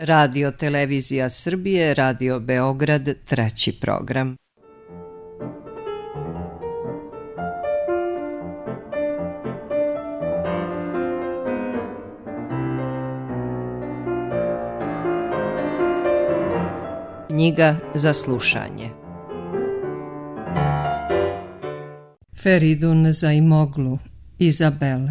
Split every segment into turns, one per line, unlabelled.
Radio Televizija Srbije, Radio Beograd, 3. program. Knjiga za slušanje. Feridun Zaimoglu, Izabel.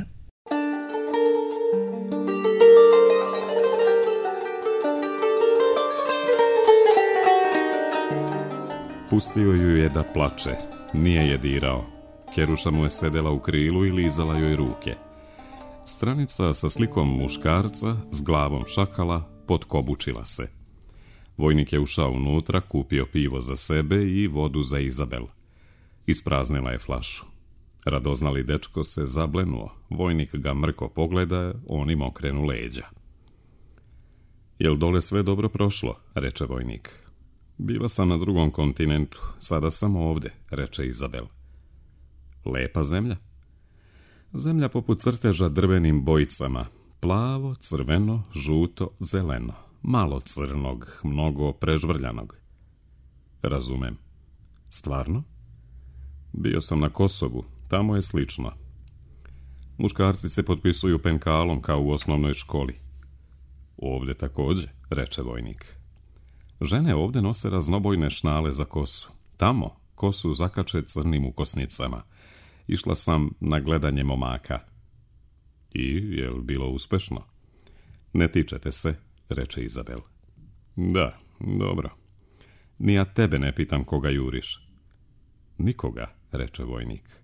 Pustio ju je da plače, nije je dirao. Keruša mu je sedela u krilu i lizala joj ruke. Stranica sa slikom muškarca s glavom šakala potkobučila se. Vojnik je ušao unutra, kupio pivo za sebe i vodu za Izabel. Ispraznila je flašu. Radoznali dečko se zablenuo. Vojnik ga mrko pogleda, on im okrenu leđa. Jel dole sve dobro prošlo, reče vojnik. Bila sam na drugom kontinentu, sada sam ovde, reče Izabel. Lepa zemlja? Zemlja poput crteža drvenim bojicama. Plavo, crveno, žuto, zeleno. Malo crnog, mnogo prežvrljanog. Razumem. Stvarno? Bio sam na Kosovu, tamo je slično. Muškarci se potpisuju penkalom kao u osnovnoj školi. Ovdje također, reče vojnik. Žene ovdje nose raznobojne šnale za kosu. Tamo kosu zakače crnim ukosnicama. Išla sam na gledanje momaka. I je li bilo uspešno? Ne tičete se, reče Izabel. Da, dobro. Ni ja tebe ne pitam koga juriš. Nikoga, reče vojnik.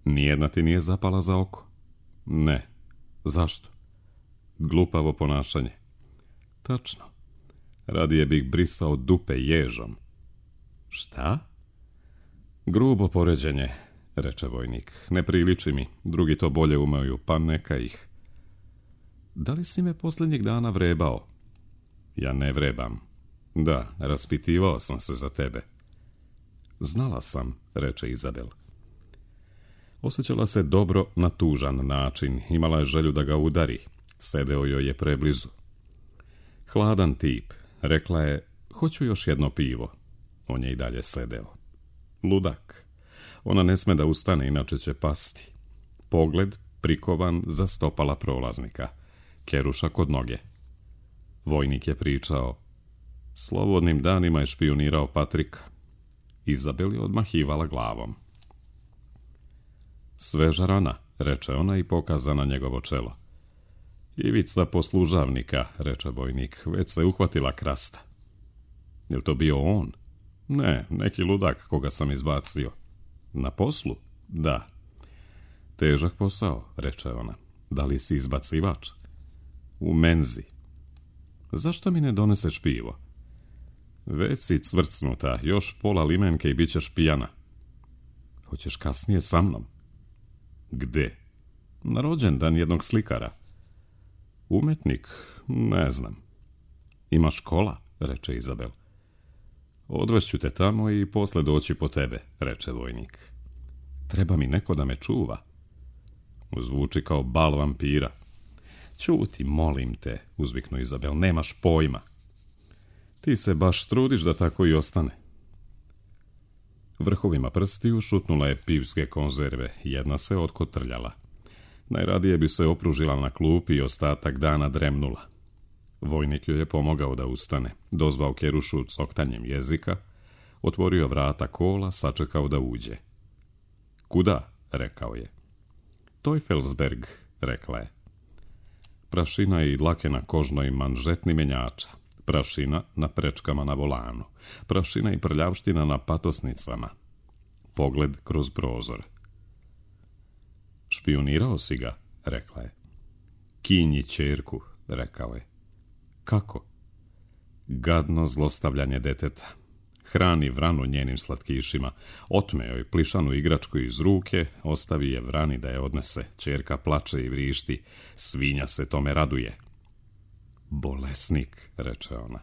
Nijedna ti nije zapala za oko? Ne. Zašto? Glupavo ponašanje. Tačno. Radije bih brisao dupe ježom. Šta? Grubo poređenje, reče vojnik. Ne priliči mi, drugi to bolje umeju, pa neka ih. Da li si me posljednjih dana vrebao? Ja ne vrebam. Da, raspitivao sam se za tebe. Znala sam, reče Izabel. Osjećala se dobro na tužan način, imala je želju da ga udari. Sedeo joj je preblizu. Hladan tip, rekla je, hoću još jedno pivo. On je i dalje sedeo. Ludak. Ona ne sme da ustane, inače će pasti. Pogled prikovan za stopala prolaznika. Keruša kod noge. Vojnik je pričao. Slobodnim danima je špionirao Patrika. Izabel je odmahivala glavom. Sveža rana, reče ona i pokaza na njegovo čelo. Ivica poslužavnika, reče vojnik, već se uhvatila krasta. Je li to bio on? Ne, neki ludak koga sam izbacio. Na poslu? Da. Težak posao, reče ona. Da li si izbacivač? U menzi. Zašto mi ne doneseš pivo? Već si cvrcnuta, još pola limenke i bit ćeš pijana. Hoćeš kasnije sa mnom? Gde? Na rođendan jednog slikara. Umetnik? Ne znam. Ima škola, reče Izabel. Odvešću te tamo i posle doći po tebe, reče vojnik. Treba mi neko da me čuva. Zvuči kao bal vampira. Ćuti, molim te, uzviknu Izabel, nemaš pojma. Ti se baš trudiš da tako i ostane. Vrhovima prstiju šutnula je pivske konzerve, jedna se otkotrljala. Najradije bi se opružila na klupi i ostatak dana dremnula. Vojnik joj je pomogao da ustane, dozvao Kerušu coktanjem jezika, otvorio vrata kola, sačekao da uđe. Kuda? Rekao je. Teufelsberg, rekla je. Prašina i dlake na kožnoj manžetni menjača, prašina na prečkama na volanu, prašina i prljavština na patosnicama. Pogled kroz prozor. Špionirao si ga, rekla je. Kinji ćerku, rekao je. Kako? Gadno zlostavljanje deteta. Hrani vranu njenim slatkišima, otme joj plišanu igračku iz ruke, ostavi je vrani da je odnese. Ćerka plače i vrišti, svinja se tome raduje. Bolesnik, reče ona.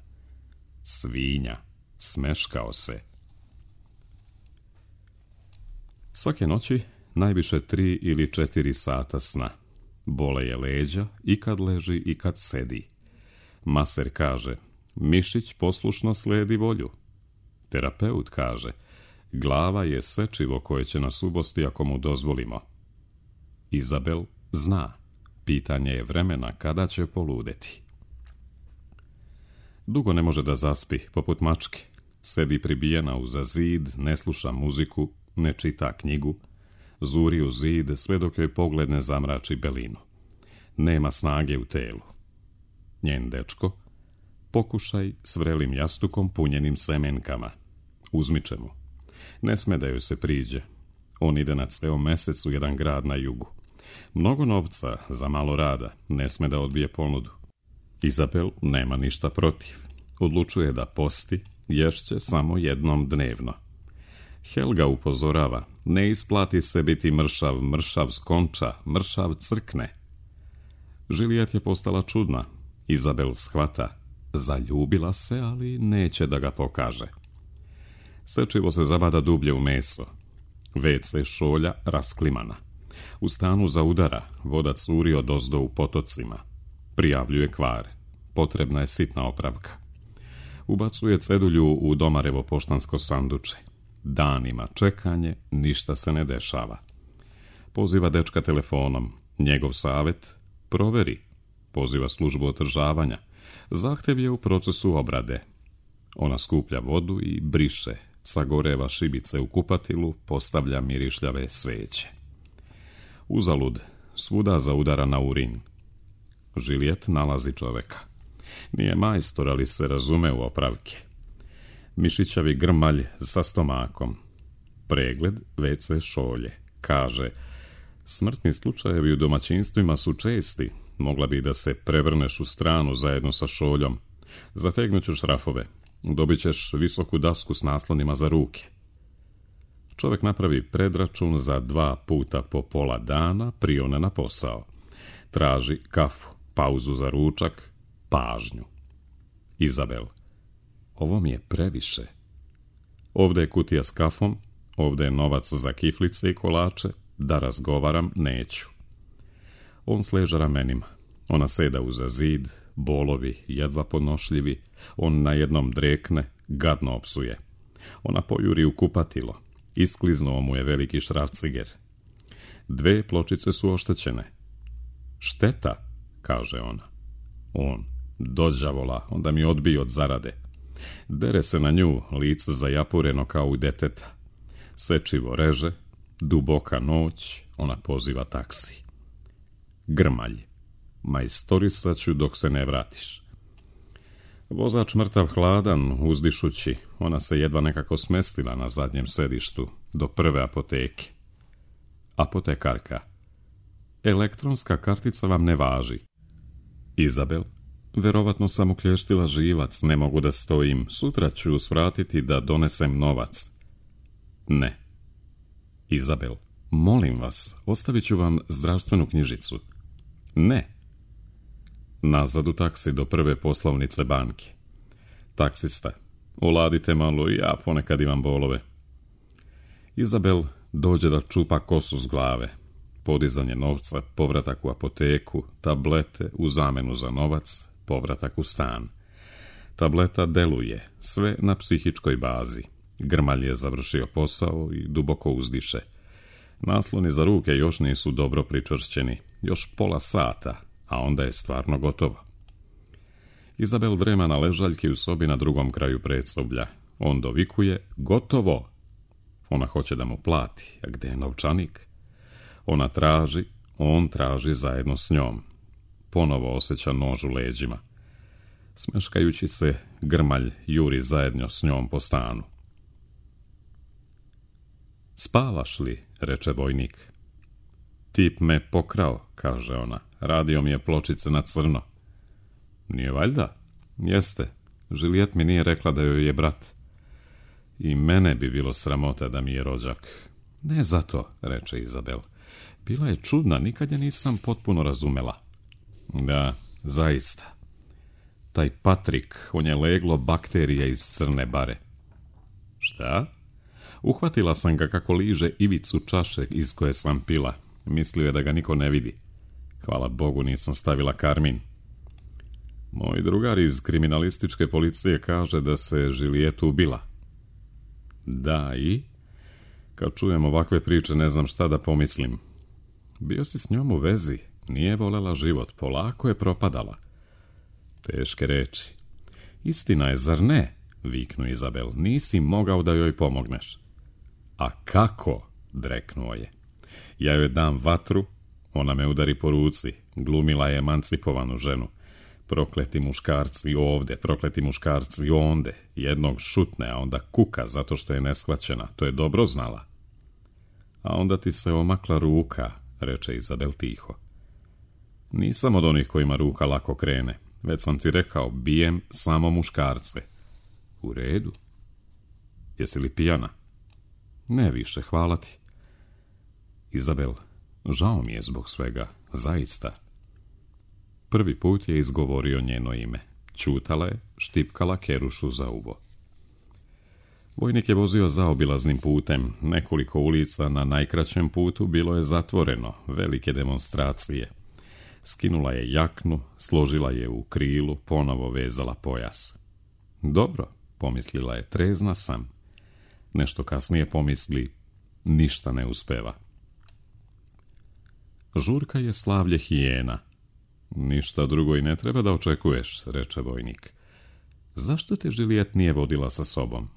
Svinja, smeškao se. Svake noći najviše 3 ili 4 sata sna. Bole je leđa i kad leži i kad sedi. Maser kaže, mišić poslušno slijedi volju. Terapeut kaže, glava je sečivo koje će nas ubosti ako mu dozvolimo. Izabel zna, pitanje je vremena kada će poludeti. Dugo ne može da zaspi, poput mačke. Sedi pribijena uza zid, ne sluša muziku, ne čita knjigu, zuri u zid sve dok joj pogled ne zamrači belinu. Nema snage u telu. Njen dečko, pokušaj s vrelim jastukom punjenim semenkama. Uzmiče mu. Ne sme da joj se priđe. On ide na ceo mesec u jedan grad na jugu. Mnogo novca za malo rada, ne sme da odbije ponudu. Izabel nema ništa protiv. Odlučuje da posti, ješće samo jednom dnevno. Helga upozorava, ne isplati se biti mršav, mršav skonča, mršav crkne. Žilijet je postala čudna. Izabel shvata, zaljubila se, ali neće da ga pokaže. Sečivo se zabada dublje u meso. WC šolja rasklimana. U stanu zaudara, voda curi odozdo u potocima. Prijavljuje kvar. Potrebna je sitna opravka. Ubacuje cedulju u Domarevo poštansko sanduče. Danima čekanje, ništa se ne dešava. Poziva dečka telefonom. Njegov savjet, proveri. Poziva službu održavanja. Zahtev je u procesu obrade. Ona skuplja vodu i briše. Sagoreva šibice u kupatilu, postavlja mirišljave sveće. Uzalud, svuda zaudara na urin. Žilijet nalazi čoveka. Nije majstor, ali se razume u opravke. Mišićavi grmalj sa stomakom. Pregled WC šolje. Kaže, smrtni slučajevi u domaćinstvima su česti. Mogla bi da se prevrneš u stranu zajedno sa šoljom. Zategnut ću šrafove. Dobit ćeš visoku dasku s naslonima za ruke. Čovjek napravi predračun za 2 puta po pola dana, prione na posao. Traži kafu, pauzu za ručak, pažnju. Izabel, ovo mi je previše. Ovdje je kutija s kafom, ovdje je novac za kiflice i kolače, da razgovaram neću. On sleže ramenima. Ona seda uza zid, bolovi jedva podnošljivi. On na jednom drekne, gadno opsuje. Ona pojuri u kupatilo. Iskliznuo mu je veliki šrafciger. 2 pločice su oštećene. Šteta, kaže ona. On, dođavola, onda mi odbije od zarade. Dere se na nju, lice zajapureno kao u deteta. Sečivo reže, duboka noć, ona poziva taksi. Grmalj, majstorisat ću dok se ne vratiš. Vozač mrtav hladan, uzdišući, ona se jedva nekako smestila na zadnjem sedištu, do prve apoteke. Apotekarka. Elektronska kartica vam ne važi. Izabel, verovatno sam uklještila živac, ne mogu da stojim, sutra ću svratiti da donesem novac. Ne. Izabel, molim vas, ostavit ću vam zdravstvenu knjižicu. Ne. Nazad u taksi do prve poslovnice banke. Taksista, oladite malo, ja ponekad imam bolove. Izabel dođe da čupa kosu s glave. Podizanje novca, povratak u apoteku, tablete u zamenu za novac, povratak u stan. Tableta deluje, sve na psihičkoj bazi. Grmalj je završio posao i duboko uzdiše. Nasloni za ruke još nisu dobro pričvršćeni, još pola sata, a onda je stvarno gotovo. Izabel drema na ležaljki u sobi na drugom kraju predsoblja. On dovikuje, gotovo! Ona hoće da mu plati, a gde je novčanik? Ona traži, on traži zajedno s njom. Ponovo osjeća nož u leđima. Smeškajući se, Grmalj juri zajedno s njom po stanu. Spavaš li, reče vojnik. Tip me pokrao, kaže ona. Radio mi je pločice na crno. Nije valjda? Jeste. Žilijet mi nije rekla da joj je brat. I mene bi bilo sramota da mi je rođak. Ne zato, reče Izabel. Bila je čudna, nikad je nisam potpuno razumela. Da, zaista. Taj Patrik, on je leglo bakterija iz crne bare. Šta? Uhvatila sam ga kako liže ivicu čaše iz koje sam pila. Mislio je da ga niko ne vidi. Hvala Bogu nisam stavila karmin. Moj drugar iz kriminalističke policije kaže da se Julijetu ubila. Da, i? Kad čujem ovakve priče ne znam šta da pomislim. Bio si s njom u vezi, nije volela život, polako je propadala. Teške reči. Istina je, zar ne? Viknu Izabel, nisi mogao da joj pomogneš. A kako? Dreknuo je. Ja joj dam vatru, ona me udari po ruci, glumila je emancipovanu ženu. Prokleti muškarci ovde, prokleti muškarci onde, jednog šutne, a onda kuka zato što je neshvaćena, to je dobro znala. A onda ti se omakla ruka, reče Izabel tiho. Nisam od onih kojima ruka lako krene, već sam ti rekao, bijem samo muškarce. U redu. Jesi li pijana? Ne više, hvala ti. Izabel, žao mi je zbog svega, zaista. Prvi put je izgovorio njeno ime. Ćutala je, štipkala Kerušu za uvo. Vojnik je vozio zaobilaznim putem. Nekoliko ulica na najkraćem putu bilo je zatvoreno, velike demonstracije. Skinula je jaknu, složila je u krilu, ponovo vezala pojas. Dobro, pomislila je, trezna sam. Nešto kasnije pomisli, ništa ne uspeva. Žurka je slavlje hijena. Ništa drugo i ne treba da očekuješ, reče vojnik. Zašto te Julijet nije vodila sa sobom?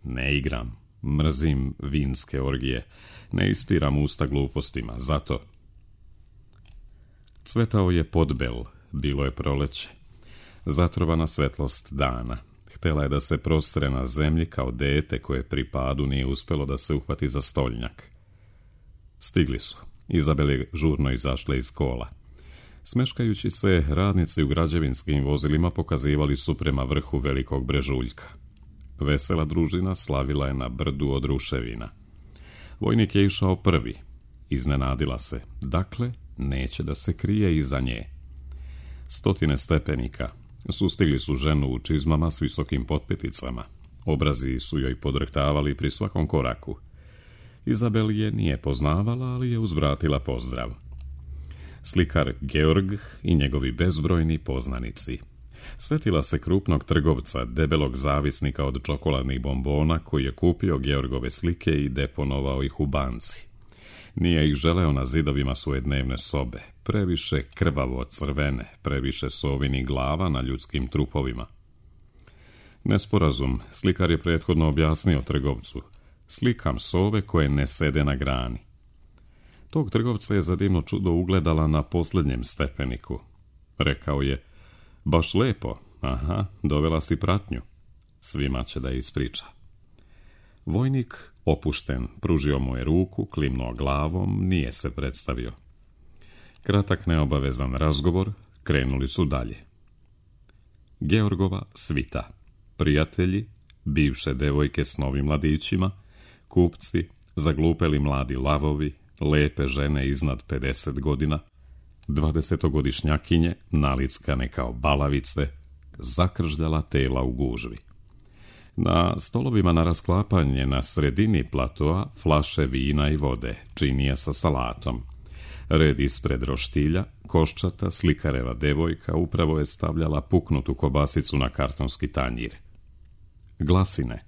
Ne igram, mrzim vinske orgije, ne ispiram usta glupostima, zato. Cvetao je podbel, bilo je proleće. Zatrovana svetlost dana. Htela je da se prostre na zemlji kao dete koje pri padu nije uspelo da se uhvati za stolnjak. Stigli su. Izabel je žurno izašla iz kola. Smeškajući se, radnici u građevinskim vozilima pokazivali su prema vrhu velikog brežuljka. Vesela družina slavila je na brdu od ruševina. Vojnik je išao prvi. Iznenadila se. Dakle, neće da se krije iza nje. 100 stepenika. Sustigli su ženu u čizmama s visokim potpeticama. Obrazi su joj podrhtavali pri svakom koraku. Izabel je nije poznavala, ali je uzvratila pozdrav. Slikar Georg i njegovi bezbrojni poznanici. Sjetila se krupnog trgovca, debelog zavisnika od čokoladnih bombona, koji je kupio Georgove slike i deponovao ih u banci. Nije ih želeo na zidovima svoje dnevne sobe, previše krvavo crvene, previše sovinih glava na ljudskim trupovima. Nesporazum, slikar je prethodno objasnio trgovcu. Slikam sove koje ne sede na grani. Tog trgovca je za divno čudo ugledala na posljednjem stepeniku. Rekao je, baš lepo, aha, dovela si pratnju. Svima će da ispriča. Vojnik, opušten, pružio mu je ruku, klimnuo glavom, nije se predstavio. Kratak neobavezan razgovor, krenuli su dalje. Georgova svita, prijatelji, bivše devojke s novim mladićima, kupci, zaglupeli mladi lavovi, lepe žene iznad 50 godina, 20-godišnjakinje, nalickane kao balavice, zakržljala tela u gužvi. Na stolovima na rasklapanje na sredini platoa flaše vina i vode, činija sa salatom. Red ispred roštilja, koščata, slikareva devojka upravo je stavljala puknutu kobasicu na kartonski tanjir. Glasine.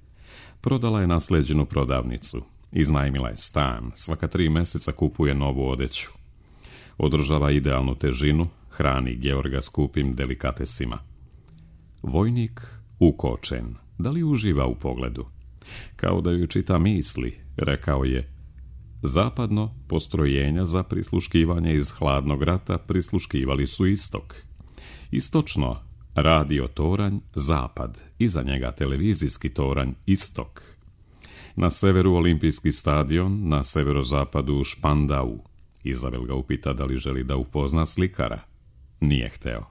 Prodala je nasleđenu prodavnicu. Iznajmila je stan, svaka 3 mjeseca kupuje novu odeću. Održava idealnu težinu, hrani Georga skupim delikatesima. Vojnik ukočen, da li uživa u pogledu? Kao da ju čita misli, rekao je, zapadno postrojenja za prisluškivanje iz hladnog rata prisluškivali su istok. Istočno, radio toranj, zapad, iza njega televizijski toranj, istok. Na severu olimpijski stadion, na severozapadu Špandau. Izabel ga upita da li želi da upozna slikara. Nije hteo.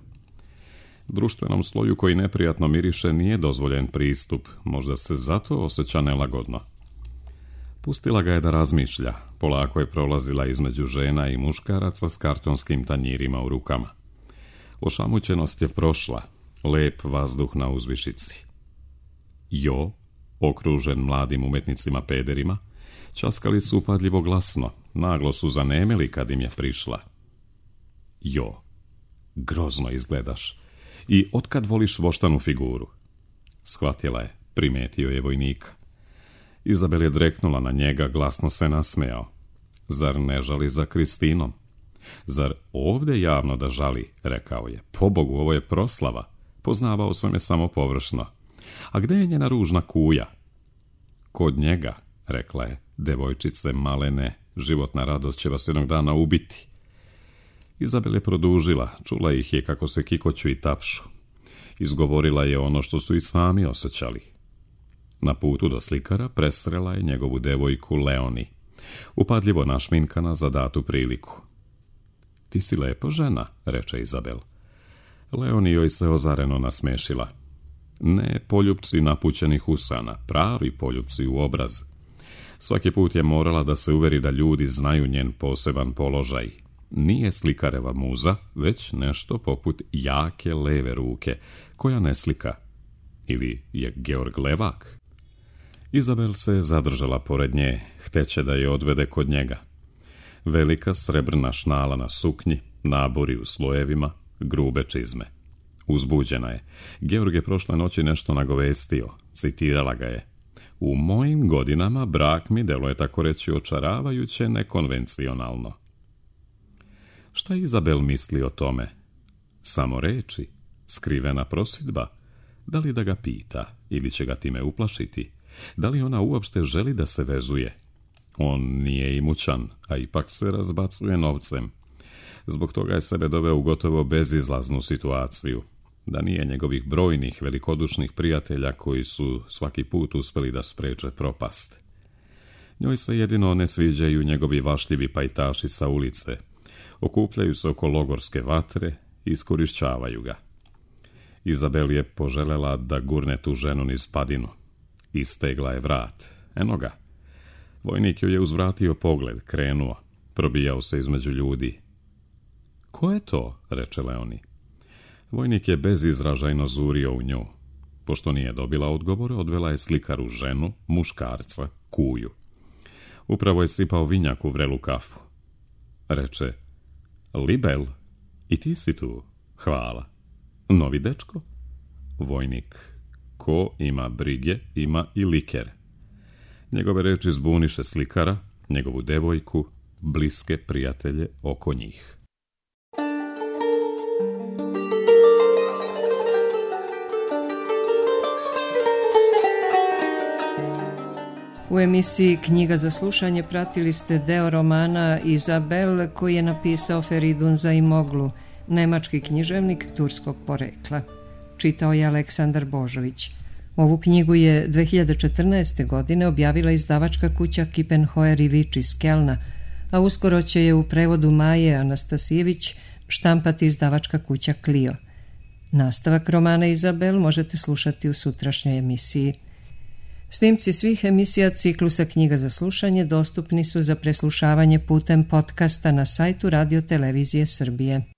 Društvenom sloju koji neprijatno miriše nije dozvoljen pristup, možda se zato osjeća nelagodno. Pustila ga je da razmišlja, polako je prolazila između žena i muškaraca s kartonskim tanjirima u rukama. Ošamućenost je prošla, lep vazduh na uzvišici. Jo, okružen mladim umetnicima pederima, časkali su upadljivo glasno, naglo su zanemeli kad im je prišla. Jo, grozno izgledaš. I otkad voliš voštanu figuru? Shvatila je, primetio je vojnika. Izabel je dreknula na njega, glasno se nasmejao. Zar ne žali za Kristinom? Zar ovdje javno da žali, rekao je. Pobogu, ovo je proslava. Poznavao sam je samo površno. A gde je njena ružna kuja? Kod njega, rekla je. Devojčice malene, životna radost će vas jednog dana ubiti. Izabel je produžila, čula ih je kako se kikoću i tapšu. Izgovorila je ono što su i sami osjećali. Na putu do slikara presrela je njegovu devojku Leoni, upadljivo našminkana za datu priliku. Ti si lepo žena, reče Izabel. Leoni joj se ozareno nasmešila. Ne poljupci napućenih usana, pravi poljupci u obraz. Svaki put je morala da se uveri da ljudi znaju njen poseban položaj. Nije slikareva muza, već nešto poput jake leve ruke, koja ne slika. Ili je Georg levak? Izabel se zadržala pored nje, hteće da je odvede kod njega. Velika srebrna šnala na suknji, nabori u slojevima, grube čizme. Uzbuđena je. Georg je prošle noći nešto nagovestio, citirala ga je. U mojim godinama brak mi deluje tako reći očaravajuće nekonvencionalno. Šta Izabel misli o tome? Samo reči, skrivena prosudba. Da li da ga pita ili će ga time uplašiti? Da li ona uopšte želi da se vezuje? On nije imućan, a ipak se razbacuje novcem. Zbog toga je sebe doveo u gotovo bezizlaznu situaciju. Da nije njegovih brojnih, velikodušnih prijatelja koji su svaki put uspeli da spreče propast. Njoj se jedino ne sviđaju njegovi vašljivi pajtaši sa ulice. Okupljaju se oko logorske vatre i iskorišćavaju ga. Izabel je poželela da gurne tu ženu niz padinu. Istegla je vrat. Eno ga. Vojnik joj je uzvratio pogled, krenuo. Probijao se između ljudi. Ko je to? Reče Leoni. Vojnik je bezizražajno zurio u nju. Pošto nije dobila odgovore, odvela je slikaru ženu, muškarca, kuju. Upravo je sipao vinjak u vrelu kafu. Reče, Libel, i ti si tu, hvala. Novi dečko? Vojnik, ko ima brige, ima i liker. Njegove reči zbuniše slikara, njegovu devojku, bliske prijatelje oko njih.
U emisiji Knjiga za slušanje pratili ste deo romana Izabel koji je napisao Feridun Zaimoglu, nemački književnik turskog porekla. Čitao je Aleksandar Božović. Ovu knjigu je 2014. godine objavila izdavačka kuća Kippenheuer i Vič iz Kelna, a uskoro će je u prevodu Maje Anastasijević štampati izdavačka kuća Clio. Nastavak romana Izabel možete slušati u sutrašnjoj emisiji. Snimci svih emisija ciklusa Knjiga za slušanje dostupni su za preslušavanje putem podcasta na sajtu Radio Televizije Srbije.